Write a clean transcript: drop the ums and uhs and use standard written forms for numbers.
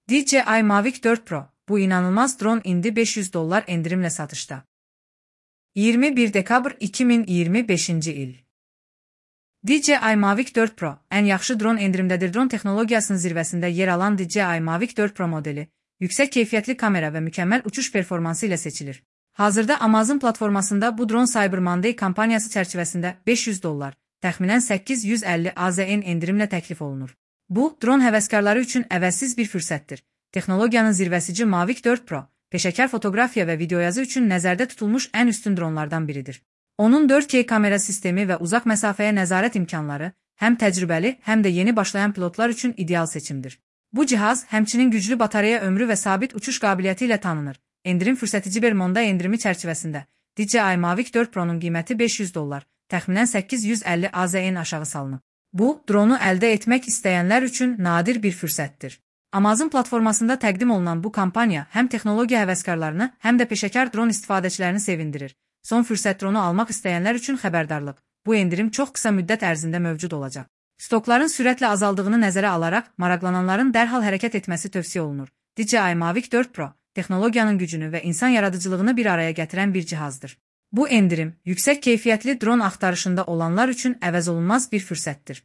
DJI Mavic 4 Pro, bu inanılmaz drone indi $500 endirimle satışta. 21 dekabr 2025 il. DJI Mavic 4 Pro, en yaxşı drone endirimdədir. Drone texnologiyasının zirvəsində yer alan DJI Mavic 4 Pro modeli, yüksək keyfiyyətli kamera və mükəmməl uçuş performansı ilə seçilir. Hazırda Amazon platformasında bu drone Cyber Monday kampaniyası çərçivəsində $500, təxminən 850 AZN endirimlə təklif olunur. Bu, drone həvəskarları üçün əvəzsiz bir fürsətdir. Texnologiyanın zirvəsici Mavic 4 Pro, peşəkar fotoqrafiya və videoyazı üçün nəzərdə tutulmuş ən üstün dronlardan biridir. Onun 4K kamera sistemi və uzaq məsafəyə nəzarət imkanları həm təcrübəli, həm də yeni başlayan pilotlar üçün ideal seçimdir. Bu cihaz həmçinin güclü batareya ömrü və sabit uçuş qabiliyyəti ilə tanınır. Endirim fürsətici bir Monday endirimi çərçivəsində DJI Mavic 4 Pro'nun qiyməti $500, təxminən 850 AZN aşağı salınıb. Bu, dronu əldə etmək istəyənlər üçün nadir bir fürsətdir. Amazon platformasında təqdim olunan bu kampaniya həm texnologiya həvəskarlarını, həm də peşəkar dron istifadəçilərini sevindirir. Son fürsət dronu almaq istəyənlər üçün xəbərdarlıq. Bu endirim çox qısa müddət ərzində mövcud olacaq. Stokların sürətlə azaldığını nəzərə alaraq, maraqlananların dərhal hərəkət etməsi tövsiyə olunur. DJI Mavic 4 Pro, texnologiyanın gücünü və insan yaradıcılığını bir araya gətirən bir cihazdır. Bu endirim, yüksək keyfiyyətli dron axtarışında olanlar üçün əvəzolunmaz bir fürsətdir.